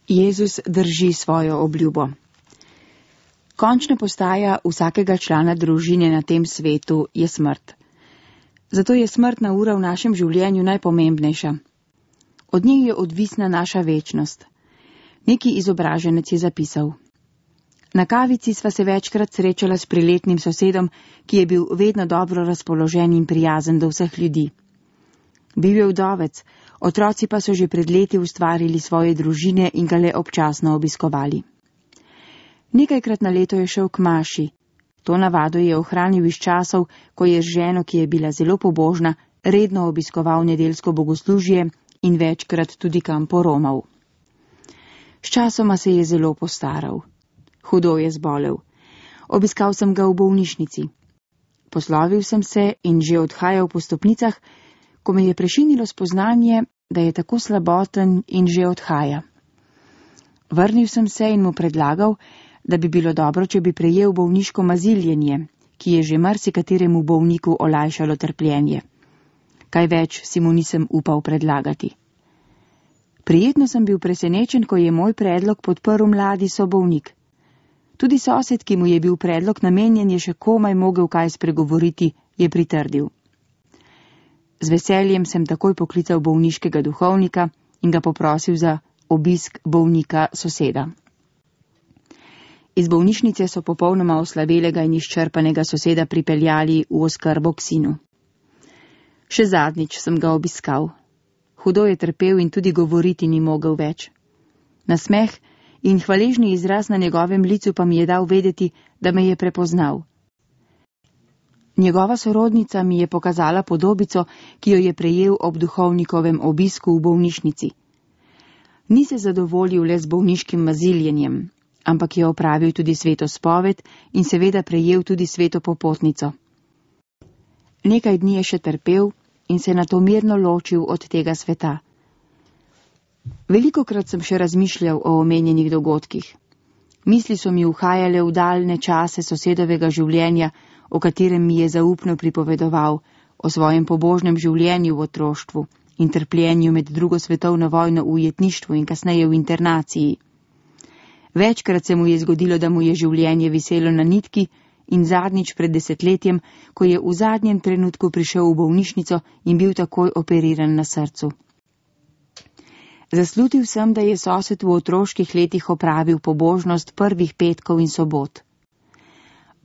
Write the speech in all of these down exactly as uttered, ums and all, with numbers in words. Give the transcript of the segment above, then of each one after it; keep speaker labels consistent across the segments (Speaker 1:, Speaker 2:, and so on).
Speaker 1: Jezus drži svojo obljubo. Končna postaja vsakega člana družine na tem svetu je smrt. Zato je smrtna ura v našem življenju najpomembnejša. Od nje je odvisna naša večnost. Neki izobraženec je zapisal: Na kavici sva se večkrat srečala s priletnim sosedom, ki je bil vedno dobro razpoložen in prijazen do vseh ljudi. Bil je vdovec, otroci pa so že pred leti ustvarili svoje družine in ga le občasno obiskovali. Nekajkrat na leto je šel k maši. To navado je ohranil iz časov, ko je z ženo, ki je bila zelo pobožna, redno obiskoval nedeljsko bogoslužje in večkrat tudi kam poromal. Sčasoma se je zelo postaral. Hudo je zbolel. Obiskal sem ga v bolnišnici. Poslovil sem se in že odhajal po stopnicah, ko me je prešinilo spoznanje, da je tako slaboten in že odhaja. Vrnil sem se in mu predlagal, da bi bilo dobro, če bi prejel bolniško maziljenje, ki je že marsikateremu bolniku olajšalo trpljenje. Kaj več si mu nisem upal predlagati. Prijetno sem bil presenečen, ko je moj predlog podprl mladi sobolnik. Tudi sosed, ki mu je bil predlog namenjen, je še komaj mogel kaj spregovoriti, je pritrdil. Z veseljem sem takoj poklical bolniškega duhovnika in ga poprosil za obisk bolnika soseda. Iz bolnišnice so popolnoma oslabelega in izčrpanega soseda pripeljali v oskrbo k sinu. Še zadnjič sem ga obiskal. Hudo je trpel in tudi govoriti ni mogel več. Nasmeh in hvaležni izraz na njegovem licu pa mi je dal vedeti, da me je prepoznal. Njegova sorodnica mi je pokazala podobico, ki jo je prejel ob duhovnikovem obisku v bolnišnici. Ni se zadovoljil le z bolniškim maziljenjem, ampak je opravil tudi sveto spoved in seveda prejel tudi sveto popotnico. Nekaj dni je še trpel in se nato mirno ločil od tega sveta. Velikokrat sem še razmišljal o omenjenih dogodkih. Misli so mi uhajale v daljne čase sosedovega življenja, o katerem mi je zaupno pripovedoval, o svojem pobožnem življenju v otroštvu in trpljenju med drugo svetovno vojno v ujetništvu in kasneje v internaciji. Večkrat se mu je zgodilo, da mu je življenje viselo na nitki in zadnjič pred desetletjem, ko je v zadnjem trenutku prišel v bolnišnico in bil takoj operiran na srcu. Zaslutil sem, da je sosed v otroških letih opravil pobožnost prvih petkov in sobot.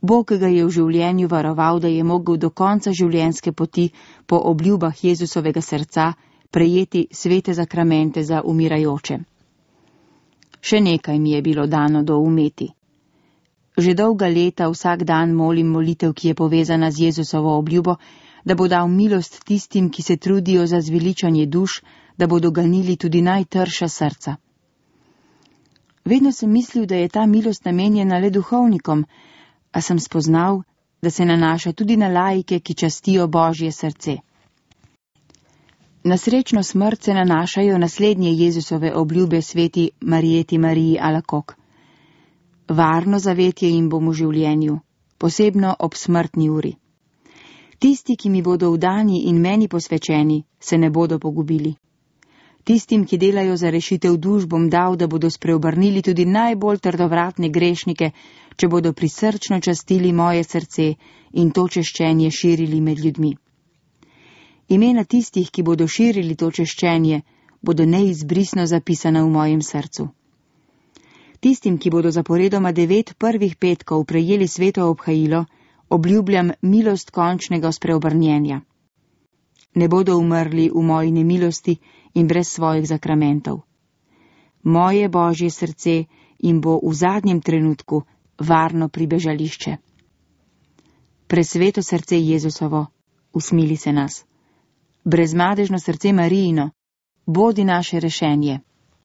Speaker 1: Bog ga je v življenju varoval, da je mogel do konca življenjske poti po obljubah Jezusovega srca prejeti svete zakramente za umirajoče. Še nekaj mi je bilo dano doumeti. Že dolga leta vsak dan molim molitev, ki je povezana z Jezusovo obljubo, da bo dal milost tistim, ki se trudijo za zveličanje duš, da bodo ganili tudi najtrša srca. Vedno sem mislil, da je ta milost namenjena le duhovnikom, a sem spoznal, da se nanaša tudi na laike, ki častijo Božje srce. Na srečno smrt se nanašajo naslednje Jezusove obljube sveti Marijeti Mariji Alakok. Varno zavetje jim bom v življenju, posebno ob smrtni uri. Tisti, ki mi bodo vdani in meni posvečeni, se ne bodo pogubili. Tistim, ki delajo za rešitev duš, bom dal, da bodo spreobrnili tudi najbolj trdovratne grešnike, če bodo prisrčno častili moje srce in to češčenje širili med ljudmi. Imena tistih, ki bodo širili to češčenje, bodo neizbrisno zapisana v mojem srcu. Tistim, ki bodo zaporedoma devet prvih petkov prejeli sveto obhajilo, obljubljam milost končnega spreobrnjenja. Ne bodo umrli v moji nemilosti in brez svojih zakramentov. Moje Božje srce jim bo v zadnjem trenutku varno pribežališče. Presveto srce Jezusovo, usmili se nas. Brezmadežno srce Marijino, bodi naše rešenje.